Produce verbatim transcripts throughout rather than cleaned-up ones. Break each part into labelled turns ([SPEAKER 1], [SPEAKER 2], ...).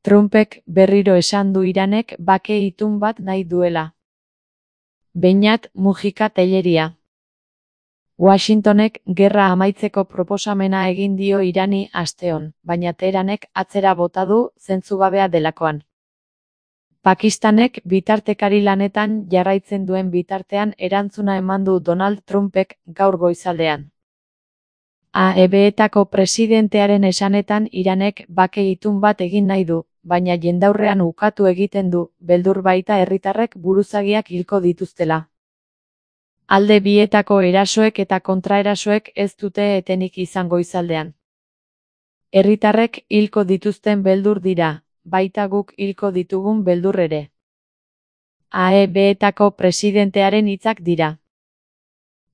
[SPEAKER 1] Trumpek berriro esan du Iranek bake itun bat nahi duela. Beñat Mujika Telleria. Washingtonek gerra amaitzeko proposamena egin dio Irani asteon, baina Teheranek atzera bota du zentzugabea delakoan. Pakistanek bitartekari lanetan jarraitzen duen bitartean erantzuna eman du Donald Trumpek gaur goizaldean. A E B-etako presidentearen esanetan Iranek bake itun bat egin nahi du, baina jendaurrean ukatu egiten du, beldur baita herritarrek buruzagiak hilko dituztela. Alde bietako erasoek eta kontraerasoek ez dute etenik izan goizaldean. Herritarrek hilko dituzten beldur dira, baita guk hilko ditugun beldur ere. A E B-etako presidentearen hitzak dira.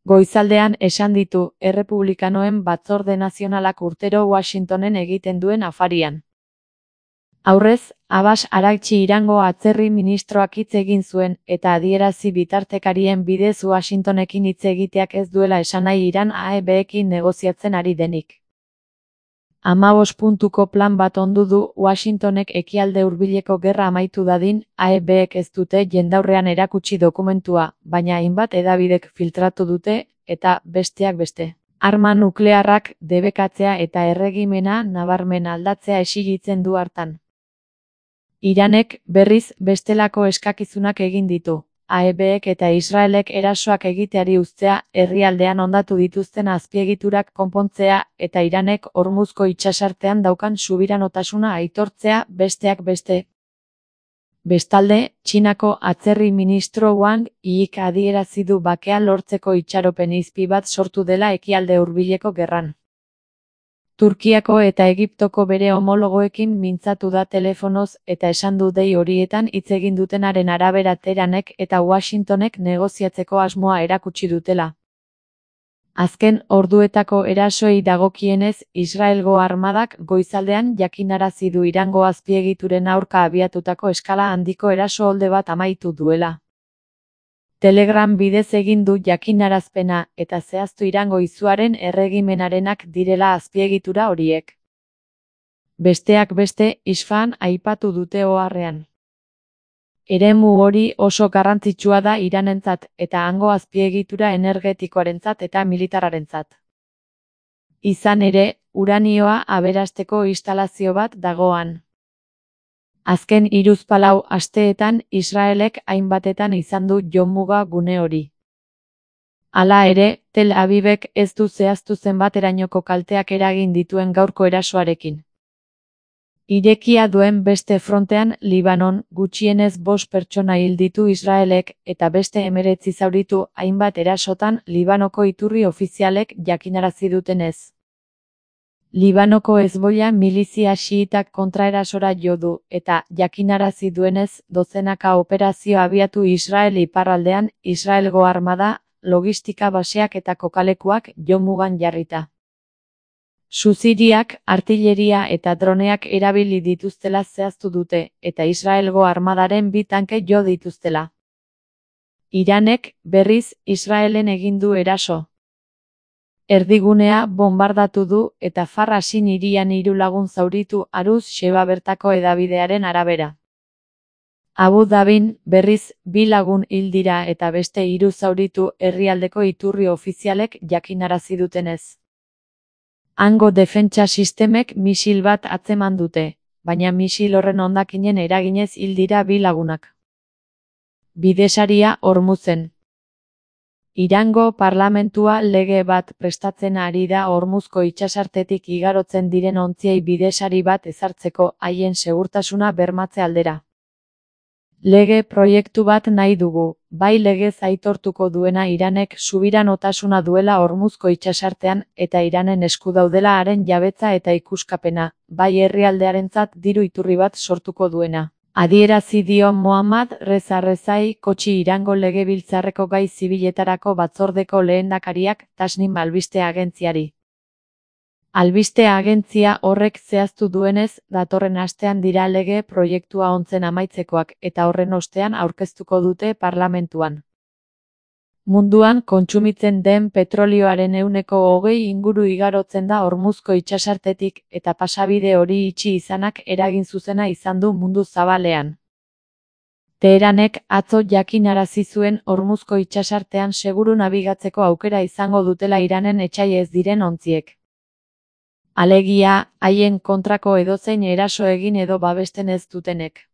[SPEAKER 1] Goizaldean esan ditu errepublikanoen batzorde nazionalak urtero Washingtonen egiten duen afarian. Aurrez, Abbas Araghchi Irango atzerri ministroak hitz egin zuen eta adierazi bitartekarien bidez Washingtonekin hitz egiteak ez duela esan nahi Iran A E B-ekin negoziatzen ari denik. Hamabost puntuko plan bat ondu du Washingtonek ekialde hurbileko gerra amaitu dadin, A E B-ek ez dute jendaurrean erakutsi dokumentua, baina hainbat hedabidek filtratu dute, eta besteak beste. Arma nuklearrak debekatzea eta erregimena nabarmen aldatzea exigitzen du hartan. Iranek, berriz, bestelako eskakizunak egin ditu. A E B-ek eta Israelek erasoak egiteari uztea, herrialdean hondatu dituzten azpiegiturak konpontzea eta Iranek Hormuzko itsasartean daukan subiranotasuna aitortzea besteak beste. Bestalde, Txinako atzerri ministro Wang Yik adierazi du bakea lortzeko itxaropen izpi bat sortu dela ekialde hurbileko gerran. Turkiako eta Egiptoko bere homologoekin mintzatu da telefonoz eta esan du dei horietan hitz egin dutenaren arabera Teheranek eta Washingtonek negoziatzeko asmoa erakutsi dutela. Azken orduetako erasoei dagokienez, Israelgo armadak goizaldean jakinarazi du Irango azpiegituren aurka abiatutako eskala handiko eraso olde bat amaitu duela. Telegram bidez egin du jakinarazpena eta zehaztu Irango izuaren erregimenarenak direla azpiegitura horiek. Besteak beste, Isfahan aipatu dute oharrean. Eremu hori oso garrantzitsua da Iranentzat eta hango azpiegitura energetikoarentzat eta militararentzat. Izan ere, uranioa aberasteko instalazio bat dagoan. Azken hiruzpalau asteetan Israelek hainbatetan izan du jomuga gune hori. Hala ere, Tel Avivek ez du zehaztu zenbaterainoko kalteak eragin dituen gaurko erasoarekin. Irekia duen beste frontean, Libanon, gutxienez bost pertsona hil ditu Israelek eta beste hemeretzi zauritu hainbat erasotan Libanoko iturri ofizialek jakinarazi dutenez. Libanoko Hezbollah milizia xiitak kontraerasora jo du eta jakinarazi duenez dozenaka operazio abiatu Israel iparraldean, Israelgo armada, logistika baseak eta kokalekuak jomugan jarrita. Suziriak, artilleria eta droneak erabili dituztela zehaztu dute eta Israelgo armadaren bi tanke jo dituztela. Iranek, berriz, Israelen egin du eraso. Erdigunea bonbardatu du eta Farrasin hirian hiru lagun zauritu Aruz Sheba bertako hedabidearen arabera. Abu Dhabin, berriz, bi lagun hil dira eta beste hiru zauritu herrialdeko iturri ofizialek jakinarazi dutenez. Hango defentsa sistemek misil bat atzeman dute, baina misil horren hondakinen eraginez hil dira bi lagunak. Bidesaria Hormuzen. Irango parlamentua lege bat prestatzen ari da Hormuzko itsasartetik igarotzen diren ontziei bidesari bat ezartzeko haien segurtasuna bermatze aldera. Lege proiektu bat nahi dugu, bai legez aitortuko duena Iranek subiranotasuna duela Hormuzko itsasartean eta Iranen esku daudela haren jabetza eta ikuskapena, bai herrialdearentzat diru iturri bat sortuko duena. Adierazi dio Mohammad Reza Rezai Kotxi Irango legebiltzarreko gai zibiletarako batzordeko lehendakariak Tasnim albiste agentziari. Albiste agentzia horrek zehaztu duenez, datorren astean dira lege proiektua ontzen amaitzekoak eta horren ostean aurkeztuko dute parlamentuan. Munduan kontsumitzen den petrolioaren ehuneko hogei inguru igarotzen da Hormuzko itsasartetik eta pasabide hori itxi izanak eragin zuzena izan du mundu zabalean. Teheranek atzo jakinarazi zuen Hormuzko itsasartean seguru nabigatzeko aukera izango dutela Iranen etsai ez diren ontziek. Alegia, haien kontrako edozein eraso egin edo babesten ez dutenek.